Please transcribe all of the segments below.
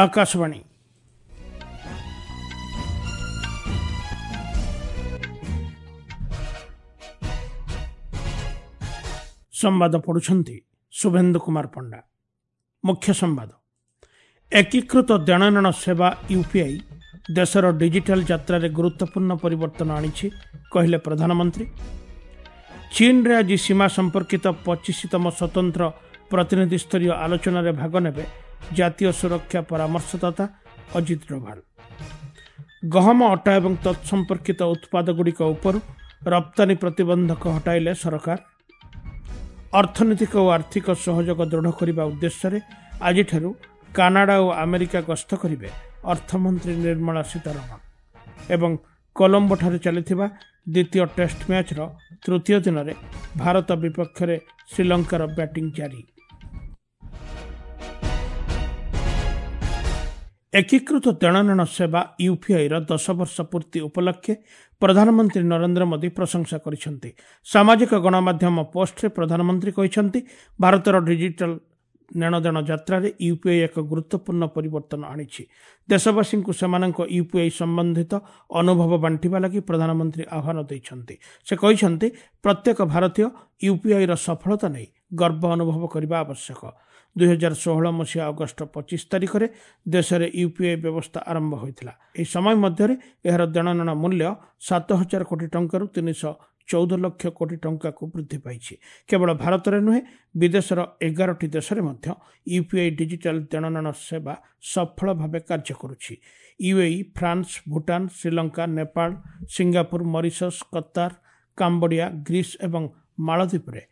ଆକାଶବାଣୀ। ସମ୍ବାଦ ପଢୁଛନ୍ତି ଶୁଭେନ୍ଦୁ କୁମାର ପଣ୍ଡା। ମୁଖ୍ୟ ସମ୍ବାଦ। ଏକୀକୃତ ଦେଣନେଣ ସେବା ୟୁପିଆଇ ଦେଶର ଡିଜିଟାଲ ଯାତ୍ରାରେ ଗୁରୁତ୍ୱପୂର୍ଣ୍ଣ ପରିବର୍ତ୍ତନ ଆଣିଛି, କହିଲେ ପ୍ରଧାନମନ୍ତ୍ରୀ। ଚୀନରେ ଆଜି ସୀମା ସମ୍ପର୍କିତ 25ତମ ସ୍ୱତନ୍ତ୍ର ପ୍ରତିନିଧିସ୍ତରୀୟ ଆଲୋଚନାରେ ଭାଗ ନେବେ ଜାତୀୟ ସୁରକ୍ଷା ପରାମର୍ଶଦାତା ଅଜିତ ଡୋଭାଲ। ଗହମ, ଅଟା ଏବଂ ତତ୍ସମ୍ପର୍କିତ ଉତ୍ପାଦଗୁଡ଼ିକ ଉପରୁ ରପ୍ତାନୀ ପ୍ରତିବନ୍ଧକ ହଟାଇଲେ ସରକାର। ଅର୍ଥନୈତିକ ଓ ଆର୍ଥିକ ସହଯୋଗ ଦୃଢ଼ କରିବା ଉଦ୍ଦେଶ୍ୟରେ ଆଜିଠାରୁ କାନାଡା ଓ ଆମେରିକା ଗସ୍ତ କରିବେ ଅର୍ଥମନ୍ତ୍ରୀ ନିର୍ମଳା ସୀତାରମଣ। ଏବଂ କଲମ୍ବୋଠାରେ ଚାଲିଥିବା ଦ୍ୱିତୀୟ ଟେଷ୍ଟ ମ୍ୟାଚ୍ର ତୃତୀୟ ଦିନରେ ଭାରତ ବିପକ୍ଷରେ ଶ୍ରୀଲଙ୍କାର ବ୍ୟାଟିଂ ଜାରି। ଏକୀକୃତ ଦେଣନେଣ ସେବା ୟୁପିଆଇର 10 ବର୍ଷ ପୂର୍ତ୍ତି ଉପଲକ୍ଷେ ପ୍ରଧାନମନ୍ତ୍ରୀ ନରେନ୍ଦ୍ର ମୋଦି ପ୍ରଶଂସା କରିଛନ୍ତି। ସାମାଜିକ ଗଣମାଧ୍ୟମ ପୋଷ୍ଟରେ ପ୍ରଧାନମନ୍ତ୍ରୀ କହିଛନ୍ତି, ଭାରତର ଡିଜିଟାଲ ନେଣଦେଣ ଯାତ୍ରାରେ ୟୁପିଆଇ ଏକ ଗୁରୁତ୍ୱପୂର୍ଣ୍ଣ ପରିବର୍ତ୍ତନ ଆଣିଛି। ଦେଶବାସୀଙ୍କୁ ସେମାନଙ୍କ ୟୁପିଆଇ ସମ୍ବନ୍ଧିତ ଅନୁଭବ ବାଣ୍ଟିବା ଲାଗି ପ୍ରଧାନମନ୍ତ୍ରୀ ଆହ୍ୱାନ ଦେଇଛନ୍ତି। ସେ କହିଛନ୍ତି, ପ୍ରତ୍ୟେକ ଭାରତୀୟ ୟୁପିଆଇର ସଫଳତା ନେଇ ଗର୍ବ ଅନୁଭବ କରିବା ଆବଶ୍ୟକ। 2016 ମସିହା ଅଗଷ୍ଟ 25 ତାରିଖରେ ଦେଶରେ ୟୁପିଆଇ ବ୍ୟବସ୍ଥା ଆରମ୍ଭ ହୋଇଥିଲା। ଏହି ସମୟ ମଧ୍ୟରେ ଏହାର ଦେଣନେଣ ମୂଲ୍ୟ 7,000 କୋଟି ଟଙ୍କାରୁ 314 ଲକ୍ଷ କୋଟି ଟଙ୍କାକୁ ବୃଦ୍ଧି ପାଇଛି। କେବଳ ଭାରତରେ ନୁହେଁ, ବିଦେଶର 11ଟି ଦେଶରେ ମଧ୍ୟ ୟୁପିଆଇ ଡିଜିଟାଲ ଦେଣନେଣ ସେବା ସଫଳ ଭାବେ କାର୍ଯ୍ୟ କରୁଛି। UAE, France, Bhutan, Sri Lanka, Nepal, Singapore, Mauritius, Qatar, Cambodia, Greece ଏବଂ ମାଳଦ୍ୱୀପରେ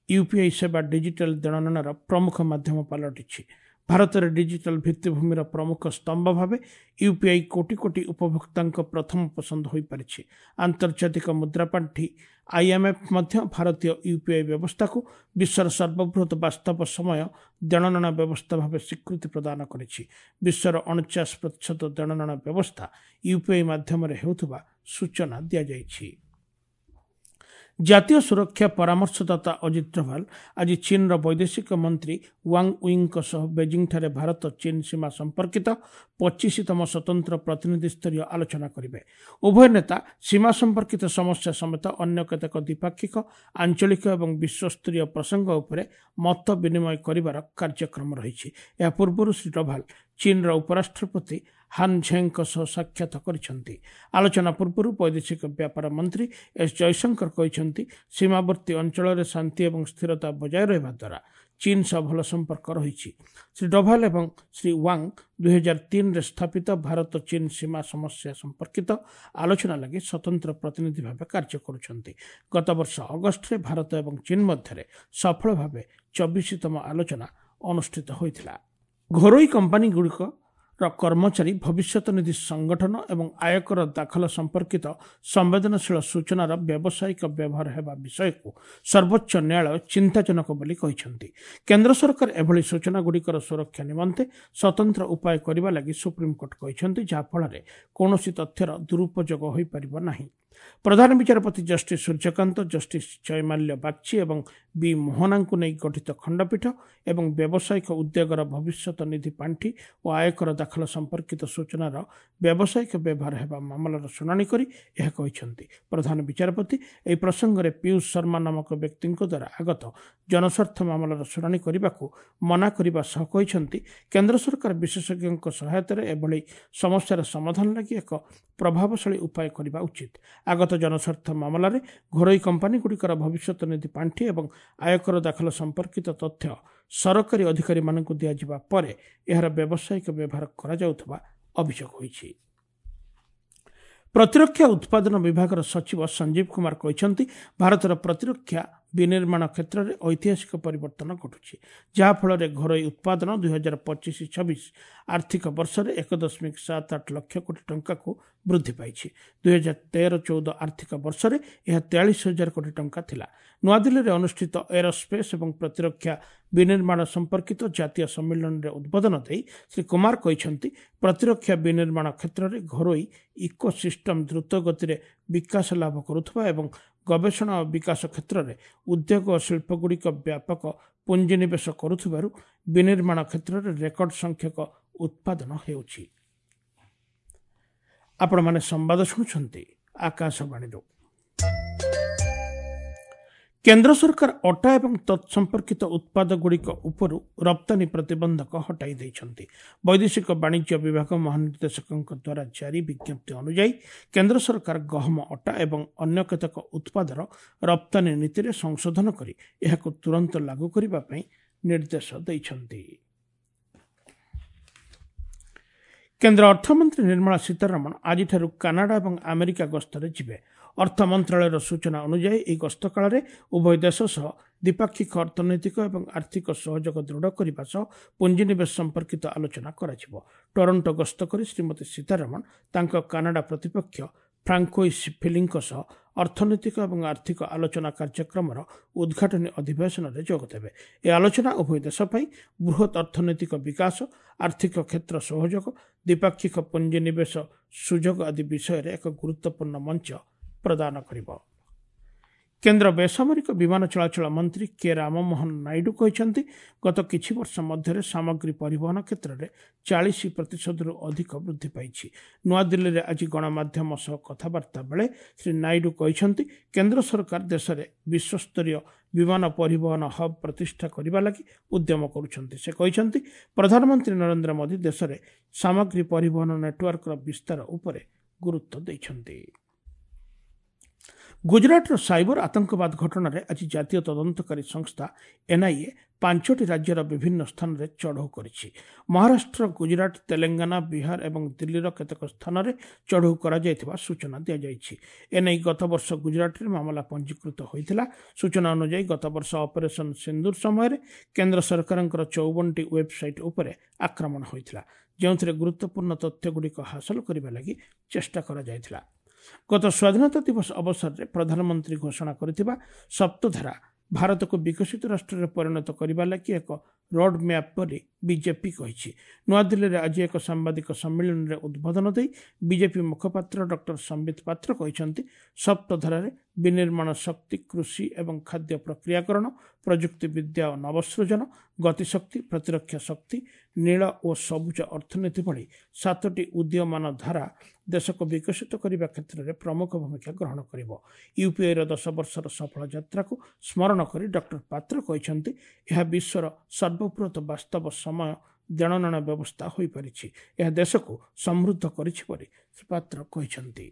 ୟୁପିଆଇ ସେବା ଡିଜିଟାଲ ଦେଣନେଣର ପ୍ରମୁଖ ମାଧ୍ୟମ ପାଲଟିଛି। ଭାରତରେ ଡିଜିଟାଲ ଭିତ୍ତିଭୂମିର ପ୍ରମୁଖ ସ୍ତମ୍ଭ ଭାବେ ୟୁପିଆଇ କୋଟି କୋଟି ଉପଭୋକ୍ତାଙ୍କ ପ୍ରଥମ ପସନ୍ଦ ହୋଇପାରିଛି। ଆନ୍ତର୍ଜାତିକ ମୁଦ୍ରାପାଣ୍ଠି ଆଇଏମ୍ଏଫ୍ ମଧ୍ୟ ଭାରତୀୟ ୟୁପିଆଇ ବ୍ୟବସ୍ଥାକୁ ବିଶ୍ୱର ସର୍ବବୃହତ ବାସ୍ତବ ସମୟ ଦେଣନେଣ ବ୍ୟବସ୍ଥା ଭାବେ ସ୍ୱୀକୃତି ପ୍ରଦାନ କରିଛି। ବିଶ୍ୱର 49% ଦେଣନେଣ ବ୍ୟବସ୍ଥା ୟୁପିଆଇ ମାଧ୍ୟମରେ ହେଉଥିବା ସୂଚନା ଦିଆଯାଇଛି। ଜାତୀୟ ସୁରକ୍ଷା ପରାମର୍ଶଦାତା ଅଜିତ ଡୋଭାଲ ଆଜି ଚୀନର ବୈଦେଶିକ ମନ୍ତ୍ରୀ ୱାଙ୍ଗ ୱିଙ୍କ ସହ ବେଜିଂଠାରେ ଭାରତ ଚୀନ ସୀମା ସମ୍ପର୍କିତ 25ତମ ସ୍ୱତନ୍ତ୍ର ପ୍ରତିନିଧିସ୍ତରୀୟ ଆଲୋଚନା କରିବେ। ଉଭୟ ନେତା ସୀମା ସମ୍ପର୍କିତ ସମସ୍ୟା ସମେତ ଅନ୍ୟ କେତେକ ଦ୍ୱିପାକ୍ଷିକ, ଆଞ୍ଚଳିକ ଏବଂ ବିଶ୍ୱସ୍ତରୀୟ ପ୍ରସଙ୍ଗ ଉପରେ ମତ ବିନିମୟ କରିବାର କାର୍ଯ୍ୟକ୍ରମ ରହିଛି। ଏହା ପୂର୍ବରୁ ଶ୍ରୀ ଡୋଭାଲ ଚୀନର ଉପରାଷ୍ଟ୍ରପତି ହାନ୍ ଝେଙ୍କ ସହ ସାକ୍ଷାତ କରିଛନ୍ତି। ଆଲୋଚନା ପୂର୍ବରୁ ବୈଦେଶିକ ବ୍ୟାପାର ମନ୍ତ୍ରୀ ଏସ୍ ଜୟଶଙ୍କର କହିଛନ୍ତି, ସୀମାବର୍ତ୍ତୀ ଅଞ୍ଚଳରେ ଶାନ୍ତି ଏବଂ ସ୍ଥିରତା ବଜାୟ ରହିବା ଦ୍ୱାରା ଚୀନ ସହ ଭଲ ସମ୍ପର୍କ ରହିଛି। ଶ୍ରୀ ଡୋଭାଲ ଏବଂ ଶ୍ରୀ ୱାଙ୍ଗ 2003ରେ ସ୍ଥାପିତ ଭାରତ ଚୀନ ସୀମା ସମସ୍ୟା ସମ୍ପର୍କିତ ଆଲୋଚନା ଲାଗି ସ୍ୱତନ୍ତ୍ର ପ୍ରତିନିଧି ଭାବେ କାର୍ଯ୍ୟ କରୁଛନ୍ତି। ଗତବର୍ଷ ଅଗଷ୍ଟରେ ଭାରତ ଏବଂ ଚୀନ ମଧ୍ୟରେ ସଫଳ ଭାବେ 24ତମ ଆଲୋଚନା ଅନୁଷ୍ଠିତ ହୋଇଥିଲା। ଘରୋଇ କମ୍ପାନୀଗୁଡ଼ିକ କର୍ମଚାରୀ ଭବିଷ୍ୟତ ନିଧି ସଂଗଠନ ଏବଂ ଆୟକର ଦାଖଲ ସମ୍ପର୍କିତ ସମ୍ବେଦନଶୀଳ ସୂଚନାର ବ୍ୟବସାୟିକ ବ୍ୟବହାର ହେବା ବିଷୟକୁ ସର୍ବୋଚ୍ଚ ନ୍ୟାୟାଳୟ ଚିନ୍ତାଜନକ ବୋଲି କହିଛନ୍ତି। କେନ୍ଦ୍ର ସରକାର ଏଭଳି ସୂଚନାଗୁଡ଼ିକର ସୁରକ୍ଷା ନିମନ୍ତେ ସ୍ୱତନ୍ତ୍ର ଉପାୟ କରିବା ଲାଗି ସୁପ୍ରିମକୋର୍ଟ କହିଛନ୍ତି, ଯାହାଫଳରେ କୌଣସି ତଥ୍ୟର ଦୁରୁପଯୋଗ ହୋଇପାରିବ ନାହିଁ। ପ୍ରଧାନ ବିଚାରପତି ଜଷ୍ଟିସ୍ ସୂର୍ଯ୍ୟକାନ୍ତ, ଜଷ୍ଟିସ୍ ଜୟମାଲ୍ୟ ବାଗ୍ଚୀ ଏବଂ ବି ମୋହନାଙ୍କୁ ନେଇ ଗଠିତ ଖଣ୍ଡପୀଠ ଏବଂ ବ୍ୟବସାୟିକ ଉଦ୍ୟୋଗର ଭବିଷ୍ୟତ ନିଧି ପାଣ୍ଠି ଓ ଆୟକର ଦାଖଲ ସମ୍ପର୍କିତ ସୂଚନାର ବ୍ୟବସାୟିକ ବ୍ୟବହାର ହେବା ମାମଲାର ଶୁଣାଣି କରି ଏହା କହିଛନ୍ତି। ପ୍ରଧାନ ବିଚାରପତି ଏହି ପ୍ରସଙ୍ଗରେ ପୀୟୁଷ ଶର୍ମା ନାମକ ବ୍ୟକ୍ତିଙ୍କ ଦ୍ୱାରା ଆଗତ ଜନସ୍ୱାର୍ଥ ମାମଲାର ଶୁଣାଣି କରିବାକୁ ମନା କରିବା ସହ କହିଛନ୍ତି, କେନ୍ଦ୍ର ସରକାର ବିଶେଷଜ୍ଞଙ୍କ ସହାୟତାରେ ଏଭଳି ସମସ୍ୟାର ସମାଧାନ ଲାଗି ଏକ ପ୍ରଭାବଶାଳୀ ଉପାୟ କରିବା ଉଚିତ। ଆଗତ ଜନସ୍ୱାର୍ଥ ମାମଲାରେ ଘରୋଇ କମ୍ପାନୀଗୁଡ଼ିକର ଭବିଷ୍ୟତ ନିଧି ପାଣ୍ଠି ଏବଂ ଆୟକର ଦାଖଲ ସମ୍ପର୍କିତ ତଥ୍ୟ ସରକାରୀ ଅଧିକାରୀମାନଙ୍କୁ ଦିଆଯିବା ପରେ ଏହାର ବ୍ୟବସାୟିକ ବ୍ୟବହାର କରାଯାଉଥିବା ଅଭିଯୋଗ ହୋଇଛି। ପ୍ରତିରକ୍ଷା ଉତ୍ପାଦନ ବିଭାଗର ସଚିବ ସଞ୍ଜୀବ କୁମାର କହିଛନ୍ତି, ଭାରତର ପ୍ରତିରକ୍ଷା ବିନିର୍ମାଣ କ୍ଷେତ୍ରରେ ଐତିହାସିକ ପରିବର୍ତ୍ତନ ଘଟୁଛି, ଯାହାଫଳରେ ଘରୋଇ ଉତ୍ପାଦନ 2025-26 ଆର୍ଥିକ ବର୍ଷରେ 1.78 ଲକ୍ଷ କୋଟି ଟଙ୍କାକୁ ବୃଦ୍ଧି ପାଇଛି। 2013-14 ଆର୍ଥିକ ବର୍ଷରେ ଏହା 43,000 କୋଟି ଟଙ୍କା ଥିଲା। ନୂଆଦିଲ୍ଲୀରେ ଅନୁଷ୍ଠିତ ଏରୋସ୍ପେସ୍ ଏବଂ ପ୍ରତିରକ୍ଷା ବିନିର୍ମାଣ ସମ୍ପର୍କିତ ଜାତୀୟ ସମ୍ମିଳନୀରେ ଉଦ୍ବୋଧନ ଦେଇ ଶ୍ରୀ କୁମାର କହିଛନ୍ତି, ପ୍ରତିରକ୍ଷା ବିନିର୍ମାଣ କ୍ଷେତ୍ରରେ ଘରୋଇ ଇକୋସିଷ୍ଟମ୍ ଦ୍ରୁତ ଗତିରେ ବିକାଶ ଲାଭ କରୁଥିବା ଏବଂ ଗବେଷଣା ଓ ବିକାଶ କ୍ଷେତ୍ରରେ ଉଦ୍ୟୋଗ ଓ ଶିଳ୍ପଗୁଡ଼ିକ ବ୍ୟାପକ ପୁଞ୍ଜିନିବେଶ କରୁଥିବାରୁ ବିନିର୍ମାଣ କ୍ଷେତ୍ରରେ ରେକର୍ଡ ସଂଖ୍ୟକ ଉତ୍ପାଦନ ହେଉଛି। ଆପଣମାନେ ସମ୍ବାଦ ଶୁଣୁଛନ୍ତି ଆକାଶବାଣୀରୁ। କେନ୍ଦ୍ର ସରକାର ଅଟା ଏବଂ ତତ୍ସମ୍ପର୍କିତ ଉତ୍ପାଦଗୁଡ଼ିକ ଉପରୁ ରପ୍ତାନୀ ପ୍ରତିବନ୍ଧକ ହଟାଇ ଦେଇଛନ୍ତି। ବୈଦେଶିକ ବାଣିଜ୍ୟ ବିଭାଗ ମହାନିର୍ଦ୍ଦେଶକଙ୍କ ଦ୍ୱାରା ଜାରି ବିଜ୍ଞପ୍ତି ଅନୁଯାୟୀ କେନ୍ଦ୍ର ସରକାର ଗହମ ଅଟା ଏବଂ ଅନ୍ୟ କେତେକ ଉତ୍ପାଦର ରପ୍ତାନୀ ନୀତିରେ ସଂଶୋଧନ କରି ଏହାକୁ ତୁରନ୍ତ ଲାଗୁ କରିବା ପାଇଁ ନିର୍ଦ୍ଦେଶ ଦେଇଛନ୍ତି। କେନ୍ଦ୍ର ଅର୍ଥମନ୍ତ୍ରୀ ନିର୍ମଳା ସୀତାରମଣ ଆଜିଠାରୁ କାନାଡା ଏବଂ ଆମେରିକା ଗସ୍ତରେ ଯିବେ। ଅର୍ଥ ମନ୍ତ୍ରଣାଳୟର ସୂଚନା ଅନୁଯାୟୀ ଏହି ଗସ୍ତ କାଳରେ ଉଭୟ ଦେଶ ସହ ଦ୍ୱିପାକ୍ଷିକ ଅର୍ଥନୈତିକ ଏବଂ ଆର୍ଥିକ ସହଯୋଗ ଦୃଢ଼ କରିବା ସହ ପୁଞ୍ଜିନିବେଶ ସମ୍ପର୍କିତ ଆଲୋଚନା କରାଯିବ। ଟରଣ୍ଟୋ ଗସ୍ତ କରି ଶ୍ରୀମତୀ ସୀତାରମଣ ତାଙ୍କ କାନାଡା ପ୍ରତିପକ୍ଷ ଫ୍ରାଙ୍କୋଇସ୍ ଫିଲିଙ୍କ ସହ ଅର୍ଥନୈତିକ ଏବଂ ଆର୍ଥିକ ଆଲୋଚନା କାର୍ଯ୍ୟକ୍ରମର ଉଦ୍ଘାଟନୀ ଅଧିବେଶନରେ ଯୋଗଦେବେ। ଏହି ଆଲୋଚନା ଉଭୟ ଦେଶ ପାଇଁ ବୃହତ୍ ଅର୍ଥନୈତିକ ବିକାଶ, ଆର୍ଥିକ କ୍ଷେତ୍ର ସହଯୋଗ, ଦ୍ୱିପାକ୍ଷିକ ପୁଞ୍ଜିନିବେଶ ସୁଯୋଗ ଆଦି ବିଷୟରେ ଏକ ଗୁରୁତ୍ୱପୂର୍ଣ୍ଣ ମଞ୍ଚ ପ୍ରଦାନ କରିବ। କେନ୍ଦ୍ର ବେସାମରିକ ବିମାନ ଚଳାଚଳ ମନ୍ତ୍ରୀ କେ ରାମମୋହନ ନାଇଡୁ କହିଛନ୍ତି, ଗତ କିଛି ବର୍ଷ ମଧ୍ୟରେ ସାମଗ୍ରୀ ପରିବହନ କ୍ଷେତ୍ରରେ 40%ରୁ ଅଧିକ ବୃଦ୍ଧି ପାଇଛି। ନୂଆଦିଲ୍ଲୀରେ ଆଜି ଗଣମାଧ୍ୟମ ସହ କଥାବାର୍ତ୍ତା ବେଳେ ଶ୍ରୀ ନାଇଡୁ କହିଛନ୍ତି, କେନ୍ଦ୍ର ସରକାର ଦେଶରେ ବିଶ୍ୱସ୍ତରୀୟ ବିମାନ ପରିବହନ ହବ୍ ପ୍ରତିଷ୍ଠା କରିବା ଲାଗି ଉଦ୍ୟମ କରୁଛନ୍ତି। ସେ କହିଛନ୍ତି, ପ୍ରଧାନମନ୍ତ୍ରୀ ନରେନ୍ଦ୍ର ମୋଦି ଦେଶରେ ସାମଗ୍ରୀ ପରିବହନ ନେଟୱାର୍କର ବିସ୍ତାର ଉପରେ ଗୁରୁତ୍ୱ ଦେଇଛନ୍ତି। ଗୁଜରାଟର ସାଇବର ଆତଙ୍କବାଦ ଘଟଣାରେ ଆଜି ଜାତୀୟ ତଦନ୍ତକାରୀ ସଂସ୍ଥା ଏନ୍ଆଇଏ 5ଟି ରାଜ୍ୟର ବିଭିନ୍ନ ସ୍ଥାନରେ ଚଢ଼ଉ କରିଛି। ମହାରାଷ୍ଟ୍ର, ଗୁଜରାଟ, ତେଲେଙ୍ଗାନା, ବିହାର ଏବଂ ଦିଲ୍ଲୀର କେତେକ ସ୍ଥାନରେ ଚଢ଼ଉ କରାଯାଇଥିବା ସୂଚନା ଦିଆଯାଇଛି। ଏନେଇ ଗତବର୍ଷ ଗୁଜରାଟରେ ମାମଲା ପଞ୍ଜୀକୃତ ହୋଇଥିଲା। ସୂଚନା ଅନୁଯାୟୀ ଗତବର୍ଷ ଅପରେସନ୍ ସିନ୍ଦୁର ସମୟରେ କେନ୍ଦ୍ର ସରକାରଙ୍କର 54ଟି ୱେବସାଇଟ୍ ଉପରେ ଆକ୍ରମଣ ହୋଇଥିଲା, ଯେଉଁଥିରେ ଗୁରୁତ୍ୱପୂର୍ଣ୍ଣ ତଥ୍ୟଗୁଡ଼ିକ ହାସଲ କରିବା ଲାଗି ଚେଷ୍ଟା କରାଯାଇଥିଲା। ଗତ ସ୍ୱାଧୀନତା ଦିବସ ଅବସରରେ ପ୍ରଧାନମନ୍ତ୍ରୀ ଘୋଷଣା କରିଥିବା ସପ୍ତଧାରା ଭାରତକୁ ବିକଶିତ ରାଷ୍ଟ୍ରରେ ପରିଣତ କରିବା ଲାଗି ଏକ ରୋଡ୍ ମ୍ୟାପ୍ ବୋଲି ବିଜେପି କହିଛି। ନୂଆଦିଲ୍ଲୀରେ ଆଜି ଏକ ସାମ୍ବାଦିକ ସମ୍ମିଳନୀରେ ଉଦ୍ବୋଧନ ଦେଇ ବିଜେପି ମୁଖପାତ୍ର ଡକ୍ଟର ସମ୍ବିତ ପାତ୍ର କହିଛନ୍ତି, ସପ୍ତଧାରାରେ ବିନିର୍ମାଣ ଶକ୍ତି, କୃଷି ଏବଂ ଖାଦ୍ୟ ପ୍ରକ୍ରିୟାକରଣ, ପ୍ରଯୁକ୍ତିବିଦ୍ୟା ଓ ନବସୃଜନ, ଗତିଶକ୍ତି, ପ୍ରତିରକ୍ଷା ଶକ୍ତି, ନୀଳ ଓ ସବୁଜ ଅର୍ଥନୀତି ଭଳି 7ଟି ଉଦୀୟମାନ ଧାରା ଦେଶକୁ ବିକଶିତ କରିବା କ୍ଷେତ୍ରରେ ପ୍ରମୁଖ ଭୂମିକା ଗ୍ରହଣ କରିବ। ୟୁପିଆଇର 10 ବର୍ଷର ସଫଳ ଯାତ୍ରାକୁ ସ୍ମରଣ କରି ଡକ୍ଟର ପାତ୍ର କହିଛନ୍ତି, ଏହା ବିଶ୍ୱର ସର୍ବବୃହତ ବାସ୍ତବ ସମୟ ଦେଣନେଣ ବ୍ୟବସ୍ଥା ହୋଇପାରିଛି। ଏହା ଦେଶକୁ ସମୃଦ୍ଧ କରିଛି ବୋଲି ଶ୍ରୀ ପାତ୍ର କହିଛନ୍ତି।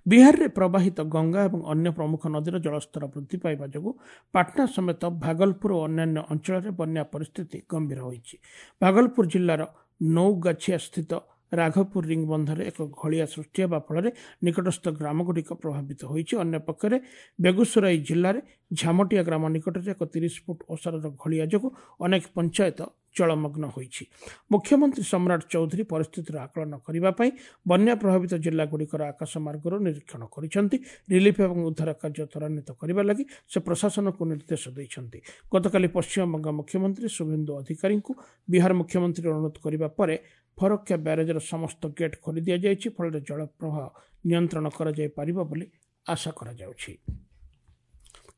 ବିହାରରେ ପ୍ରବାହିତ ଗଙ୍ଗା ଏବଂ ଅନ୍ୟ ପ୍ରମୁଖ ନଦୀର ଜଳସ୍ତର ବୃଦ୍ଧି ପାଇବା ଯୋଗୁଁ ପାଟନା ସମେତ ଭାଗଲପୁର ଓ ଅନ୍ୟାନ୍ୟ ଅଞ୍ଚଳରେ ବନ୍ୟା ପରିସ୍ଥିତି ଗମ୍ଭୀର ହୋଇଛି। ଭାଗଲପୁର ଜିଲ୍ଲାର ନୌଗାଛିଆ ସ୍ଥିତ ରାଘପୁର ରିଙ୍ଗ ବନ୍ଧରେ ଏକ ଘଳିଆ ସୃଷ୍ଟି ହେବା ଫଳରେ ନିକଟସ୍ଥ ଗ୍ରାମଗୁଡ଼ିକ ପ୍ରଭାବିତ ହୋଇଛି। ଅନ୍ୟପକ୍ଷରେ ବେଗୁସରାଇ ଜିଲ୍ଲାରେ ଝାମଟିଆ ଗ୍ରାମ ନିକଟରେ ଏକ 30 ଫୁଟ ଓସାରର ଘଳିଆ ଯୋଗୁଁ ଅନେକ ପଞ୍ଚାୟତ ଜଳମଗ୍ନ ହୋଇଛି। ମୁଖ୍ୟମନ୍ତ୍ରୀ ସମ୍ରାଟ ଚୌଧୁରୀ ପରିସ୍ଥିତିର ଆକଳନ କରିବା ପାଇଁ ବନ୍ୟା ପ୍ରଭାବିତ ଜିଲ୍ଲାଗୁଡ଼ିକର ଆକାଶମାର୍ଗରୁ ନିରୀକ୍ଷଣ କରିଛନ୍ତି। ରିଲିଫ୍ ଏବଂ ଉଦ୍ଧାର କାର୍ଯ୍ୟ ତ୍ୱରାନ୍ୱିତ କରିବା ଲାଗି ସେ ପ୍ରଶାସନକୁ ନିର୍ଦ୍ଦେଶ ଦେଇଛନ୍ତି। ଗତକାଲି ପଶ୍ଚିମବଙ୍ଗ ମୁଖ୍ୟମନ୍ତ୍ରୀ ଶୁଭେନ୍ଦୁ ଅଧିକାରୀଙ୍କୁ ବିହାର ମୁଖ୍ୟମନ୍ତ୍ରୀ ଅନୁରୋଧ କରିବା ପରେ ଫରକ୍କା ବ୍ୟାରେଜର ସମସ୍ତ ଗେଟ୍ ଖୋଲି ଦିଆଯାଇଛି। ଫଳରେ ଜଳ ପ୍ରବାହ ନିୟନ୍ତ୍ରଣ କରାଯାଇପାରିବ ବୋଲି ଆଶା କରାଯାଉଛି।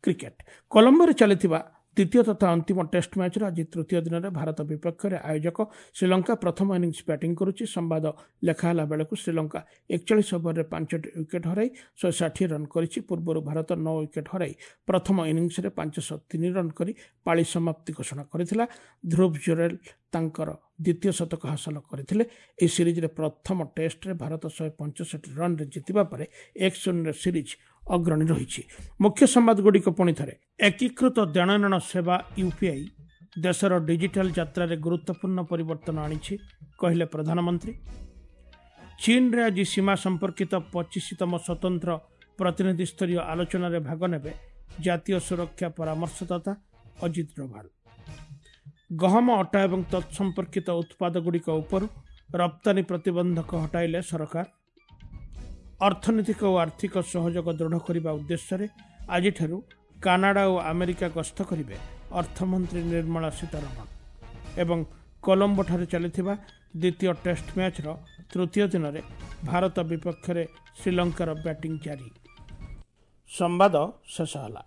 କ୍ରିକେଟ, କଲମ୍ବୋରେ ଚାଲିଥିବା ଦ୍ୱିତୀୟ ତଥା ଅନ୍ତିମ ଟେଷ୍ଟ ମ୍ୟାଚ୍ର ଆଜି ତୃତୀୟ ଦିନରେ ଭାରତ ବିପକ୍ଷରେ ଆୟୋଜକ ଶ୍ରୀଲଙ୍କା ପ୍ରଥମ ଇନିଂସ ବ୍ୟାଟିଂ କରୁଛି। ସମ୍ବାଦ ଲେଖା ହେଲା ବେଳକୁ ଶ୍ରୀଲଙ୍କା 41 ଓଭରରେ 5ଟି ୱିକେଟ୍ ହରାଇ 160 ରନ୍ କରିଛି। ପୂର୍ବରୁ ଭାରତ 9 ୱିକେଟ୍ ହରାଇ ପ୍ରଥମ ଇନିଂସରେ 503 ରନ୍ କରି ପାଳି ସମାପ୍ତି ଘୋଷଣା କରିଥିଲା। ଧ୍ରୁବ ଜୁରେଲ ତାଙ୍କର ଦ୍ୱିତୀୟ ଶତକ ହାସଲ କରିଥିଲେ। ଏହି ସିରିଜରେ ପ୍ରଥମ ଟେଷ୍ଟରେ ଭାରତ 165 ରନ୍ରେ ଜିତିବା ପରେ 1-0 ସିରିଜ୍ ଅଗ୍ରଣୀ ରହିଛି। ମୁଖ୍ୟ ସମ୍ବାଦଗୁଡ଼ିକ ପୁଣି ଥରେ। ଏକୀକୃତ ଦେଣନେଣ ସେବା ୟୁପିଆଇ ଦେଶର ଡିଜିଟାଲ ଯାତ୍ରାରେ ଗୁରୁତ୍ୱପୂର୍ଣ୍ଣ ପରିବର୍ତ୍ତନ ଆଣିଛି, କହିଲେ ପ୍ରଧାନମନ୍ତ୍ରୀ। ଚୀନରେ ଆଜି ସୀମା ସମ୍ପର୍କିତ 25ତମ ସ୍ୱତନ୍ତ୍ର ପ୍ରତିନିଧିସ୍ତରୀୟ ଆଲୋଚନାରେ ଭାଗ ନେବେ ଜାତୀୟ ସୁରକ୍ଷା ପରାମର୍ଶଦାତା ଅଜିତ ଡୋଭାଲ। ଗହମ ଅଟା ଏବଂ ତତ୍ସମ୍ପର୍କିତ ଉତ୍ପାଦଗୁଡ଼ିକ ଉପରୁ ରପ୍ତାନୀ ପ୍ରତିବନ୍ଧକ ହଟାଇଲେ ସରକାର। ଅର୍ଥନୈତିକ ଓ ଆର୍ଥିକ ସହଯୋଗ ଦୃଢ଼ କରିବା ଉଦ୍ଦେଶ୍ୟରେ ଆଜିଠାରୁ କାନାଡା ଓ ଆମେରିକା ଗସ୍ତ କରିବେ ଅର୍ଥମନ୍ତ୍ରୀ ନିର୍ମଳା ସୀତାରମଣ। ଏବଂ କଲମ୍ବୋଠାରେ ଚାଲିଥିବା ଦ୍ୱିତୀୟ ଟେଷ୍ଟ ମ୍ୟାଚ୍ର ତୃତୀୟ ଦିନରେ ଭାରତ ବିପକ୍ଷରେ ଶ୍ରୀଲଙ୍କାର ବ୍ୟାଟିଂ ଜାରି। ସମ୍ବାଦ ଶେଷ ହେଲା।